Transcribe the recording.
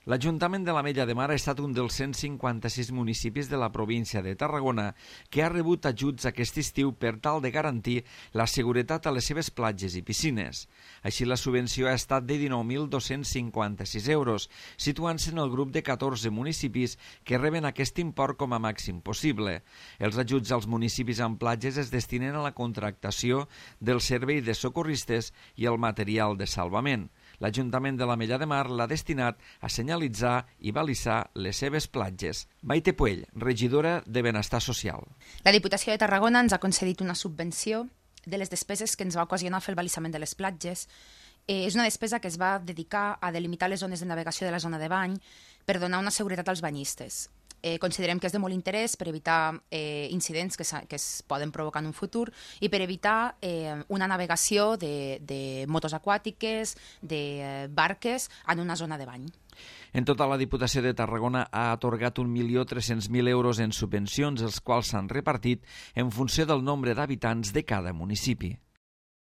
L'Ajuntament de l'Ametlla de Mar ha estat un dels 156 municipis de la província de Tarragona que ha rebut ajuts aquest estiu per tal de garantir la seguretat a les seves platges i piscines. Així, la subvenció ha estat de 19.256 euros, situant-se en el grup de 14 municipis que reben aquest import com a màxim possible. Els ajuts als municipis amb platges es destinen a la contractació del servei de socorristes i el material de salvament. L'Ajuntament de l'Ametlla de Mar l'ha destinat a senyalitzar i balisar les seves platges. Maite Puell, regidora de Benestar Social. La Diputació de Tarragona ens ha concedit una subvenció de les despeses que ens va ocasionar fer el balisament de les platges. És una despesa que es va dedicar a delimitar les zones de navegació de la zona de bany per donar una seguretat als banyistes. Considerem que és de molt interès per evitar incidents que es poden provocar en un futur i per evitar una navegació de motos aquàtiques, de barques en una zona de bany. En total, la Diputació de Tarragona ha atorgat 1.300.000 euros en subvencions, els quals s'han repartit en funció del nombre d'habitants de cada municipi.